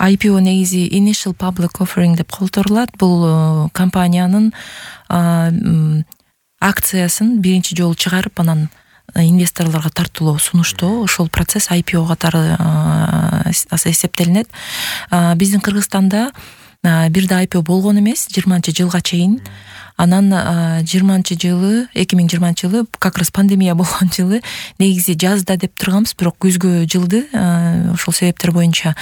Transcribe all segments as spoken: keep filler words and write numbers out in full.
ай пи о негизи Initial Public Offering деп колдонулат. Бул компаниянын акциясын биринчи жолу чыгарып, анан инвесторлорго тартуулоо сунуштоо, ошол процесс ай пи о катары эсептелинет. Биздин Кыргызстанда бир да ай пи о болгон эмес жыйырманчы жылга чейин. Анан жыйырманчы жылы, эки миң жыйырманчы жылы как раз пандемия болгон жылы негизи жазда деп турганбыз, бирок күзгө жылды. Ошол себептер боюнча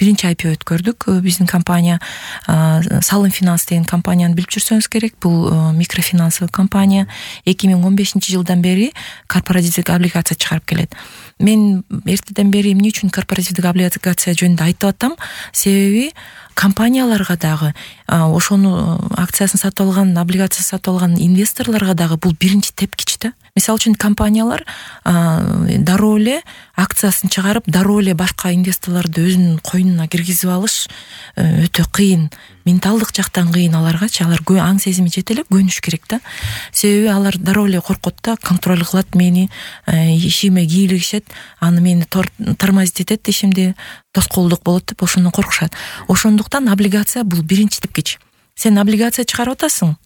биринчи ай пи о өткөрдүк. Биздин компания Салым Финанс деген компанияны билип жүрсөңүз керек. Бул микрофинансовый компания. эки миң он бешинчи жылдан бери корпоративдик облигация чыгарып келет. Мен эртеден бери эмне үчүн корпоративдик облигация жөнүндө айтып атам? Себеби компанияларга дагы, ошону акциясын сатып алган, облигациясын сатып алган инвесторлорго дагы бул биринчи тепкич да. Мисалы үчүн компаниялар дароо эле акциясын чыгарып, дароо эле башка инвесторлорду өзүнүн койнуна киргизип алыш өтө кыйын. Менталдык жактан кыйын аларгачы. Алар аң сезими жете эле көнүш керек да. Себеби алар дароо эле коркот да, контроль кылат мени, ишиме кийлигишет, аны мени тормозить этет, ишимди тоскоолдук болот деп ошондон коркушат. Ошондуктан облигация бул биринчи тепкич. Сен облигация чыгарып атасың,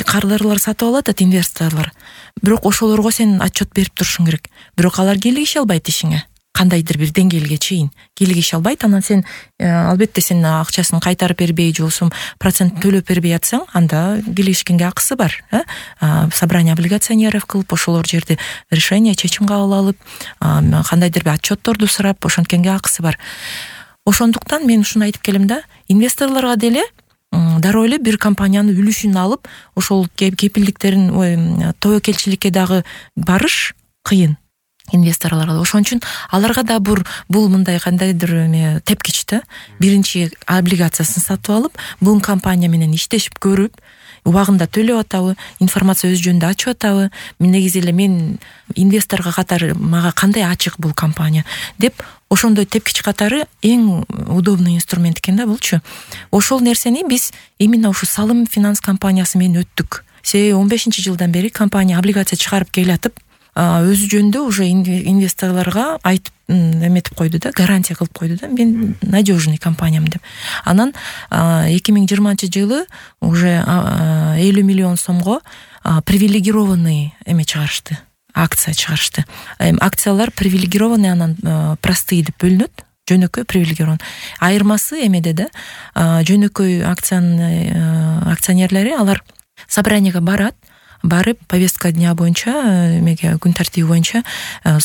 кардарлар сатып алат атат инвесторлор. Бирок ошолорго сен отчет берип турушуң керек. Бирок алар кийлигише албайт ишиңе. Кандайдыр бир деңгээлге чейин кийлигише албайт. Анан сен албетте сен акчасын кайтарып бербей, же болбосо процент төлөп бербей атсаң, анда кийлигишкенге акысы бар. Собрание облигационеров кылып, ошолор жерде решение, чечим кабыл алып, кандайдыр бир отчетторду сурап, ошонткенге акысы бар. Ошондуктан мен ушуну айтып келем да, инвесторлорго деле дароо эле бир компаниянын үлүшүн алып, ошол кепилдиктерин, тобокелчиликке дагы барыш кыйын инвесторлорго. Ошон үчүн аларга да бул мындай кандайдыр тепкич да. Биринчи облигациясын сатып алып, бул компания менен иштешип көрүп, убагында төлөп атабы, информация өз жөнүндө ачып атабы, негизи эле мен инвесторго катары мага кандай ачык бул компания деп, ошондой тепкич катары эң удобный инструмент экен да булчу. Ошол нерсени биз именно ушу Салым Финанс компаниясы менен өттүк. Себеби он бешинчи жылдан бери компания облигация чыгарып келатып, өзү жөнүндө уже инвесторлорго айтып эметип койду да, гарантия кылып койду да, мен надежный компаниям деп. Анан эки миң жыйырманчы жылы уже элүү миллион сомго привилегированный эме чыгарышты, акция чыгарышты. Акциялар привилегированный, анан простые деп бөлүнөт. Жөнөкөй привилегирован. Айырмасы эмеде да, жөнөкөй акциянын акционерлери алар собранияга барат, барып повестка дня боюнча, эмеге күн тартиби боюнча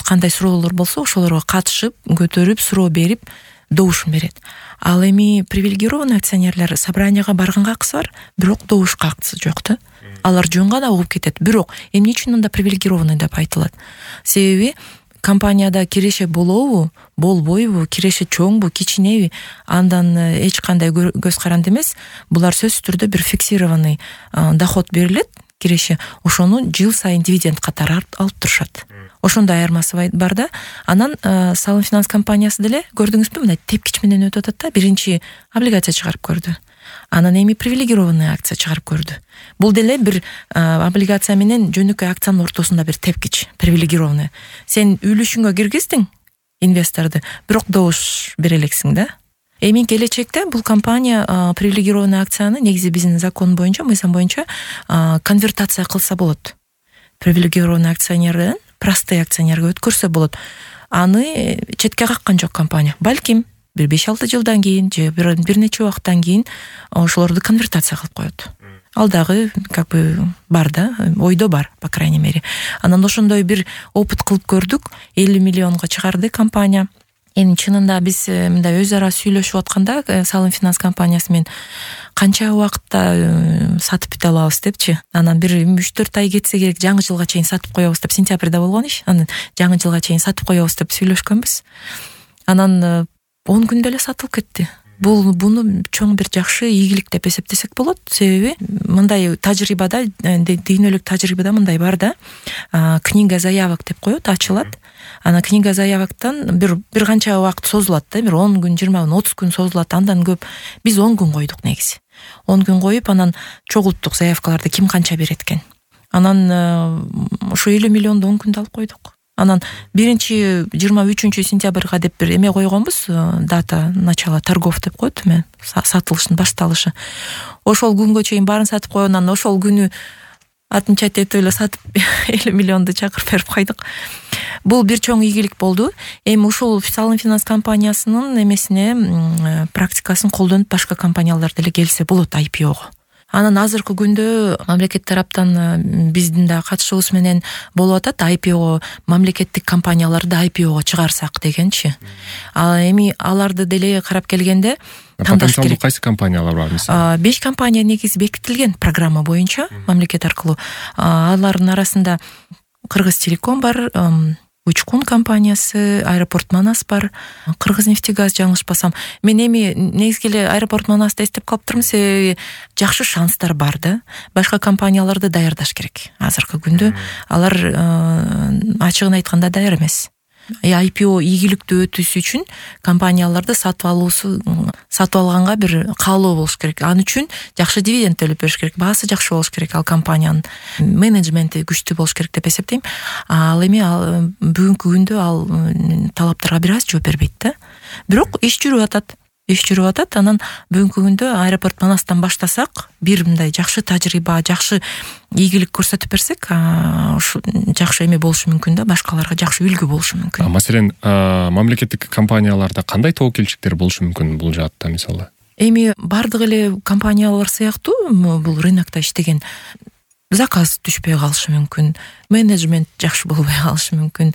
кандай суроолор болсо ошолорго катышып, көтөрүп, суроо берип, добушун берет. Ал эми привилегированный акционерлер собранияга барганга акысы бар, бирок добушка акысы жок да. Алар жөн гана угуп кетет. Бирок эмне үчүн анда привилегированный деп айтылат? Себеби компанияда киреше болобу, болбойбу, киреше чоңбу, кичинеби, андан эч кандай көз каранды эмес. Булар сөзсүз түрдө бир фиксированный доход берилет, киреше, ошону жыл сайын дивиденд катары алып турушат. Ошондой айырмасы бар да. Анан Салым Финанс компаниясы деле көрдүңүзбү, мындай тепкич менен өтүп атат да. Биринчи облигация чыгарып көрдү. Анан эми привилегированный акция чыгарып көрдү. Бул деле бир облигация менен жөнөкөй акциянын ортосунда бир тепкич, привилегированный. Сен үлүшүңгө киргиздиң инвесторду, бирок добуш бере элексиң да. Эми келечекте бул компания привилегированный акцияны негизи биздин закон боюнча, мыйзам боюнча конвертация кылса болот. Привилегированный акционерден простой акционерге өткөрсө болот. Аны четке каккан жок компания. Балким бир беш алты жылдан кийин же бир нече убакыттан кийин ошолорду конвертация кылып коет. Ал дагы как бы бар да, ойдо бар, по крайней мере. Анан ошондой бир опыт кылып көрдүк. элүү миллионго чыгарды компания. Эми чынында биз мындай өз ара сүйлөшүп атканда Салым Финанс компаниясы менен канча убакытта сатып бүт алабыз депчи. Анан бир үч төрт ай кетсе керек, жаңы жылга чейин сатып коебуз деп, сентябрда болгон иш. Анан жаңы жылга чейин сатып коебуз деп сүйлөшкөнбүз. Анан он күндө эле сатылып кетти. Бул буну чоң бир жакшы ийгилик деп эсептесек болот. Себеби мындай тажрыйбада, дүйнөлүк тажрыйбада мындай бар да. Книга заявок деп коет, ачылат. Ана книга заявоктан бир бир канча убакыт созулат да, бир он күн, жыйырма күн, отуз күн созулат. Андан көп биз он күн койдук негизи. он күн коюп, анан чогулттук заявкаларды ким канча берет экен. Анан ошо элүү миллионду он күндө алып койдук. Анан биринчи жыйырма үчүнчү сентябрга деп бир эме койгонбуз, дата начала торгов деп коет, эме сатылыштын башталышы. Ошол күнгө чейин баарын сатып койгон, анан ошол күнү атынча этип эле сатып элүү миллионду чакырып берип койдук. Бул бир чоң ийгилик болду. Эми ушул Салым финанс компаниясынын эмесине практикасын колдонуп башка компаниялар деле келсе болот ай пи ого. Анан азыркы күндө мамлекет тараптан биздин да катышуубуз менен болуп атат, ай пи о мамлекеттик компанияларды ай пи ого чыгарсак дегенчи. Ал эми аларды деле карап келгенде тандаш керек. Кайсы компаниялар бар мисалы? беш компания негизи бекитилген программа боюнча мамлекет аркылуу. Алардын арасында Кыргызтелеком бар, Учкун компаниясы, Аэропорт Манас бар, Кыргызнефтегаз жаңылышпасам. Мен эми негизги эле Аэропорт Манасты эстеп калыптырмын, себеби жакшы шанстар бар да. Башка компанияларды даярдаш керек. Азыркы күндө алар ачыгын айтканда даяр эмес. ай пи о ийгиликтүү өтүшү үчүн компанияларды сатып алуусу, сатып алганга бир каалоо болуш керек. Аны үчүн жакшы дивиденд төлөп бериш керек, баасы жакшы болуш керек, ал компаниянын менеджменти күчтүү болуш керек деп эсептейм. Ал эми бүгүнкү күндө ал талаптарга бир аз жооп бербейт да. Бирок иш жүрүп атат. Иш жүрүп атат. Анан бүгүнкү күндө Аэропорт Манастан баштасак, бир мындай жакшы тажрыйба, жакшы ийгилик көрсөтүп берсек, ушу жакшы эме болушу мүмкүн да, башкаларга жакшы үлгү болушу мүмкүн. Маселен, мамлекеттик компанияларда кандай тоокелчиликтер болушу мүмкүн бул жаатта мисалы? Эми бардык эле компаниялар сыяктуу бул рынокто иштеген заказ түшпөй калышы мүмкүн, менеджмент жакшы болбой калышы мүмкүн.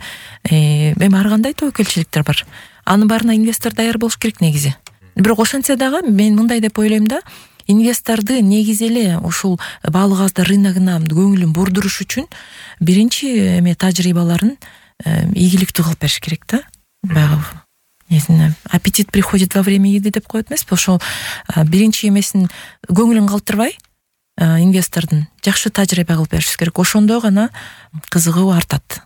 Эми ар кандай тоокелчиликтер бар. Анын баарына инвестор даяр болуш керек негизи. Бирок ошентсе дагы мен мындай деп ойлойм да, инвесторду негизи эле ушул баалык газдар рыногуна көңүлүн бурдуруш үчүн биринчи эме тажрыйбаларын ийгиликтүү кылып бериш керек да. Баягы несине аппетит приходит во время еды деп коет эмеспи? Ошол биринчи эмесин көңүлүн калтырбай инвестордун жакшы тажрыйба кылып бериш керек. Ошондо гана кызыгуу артат.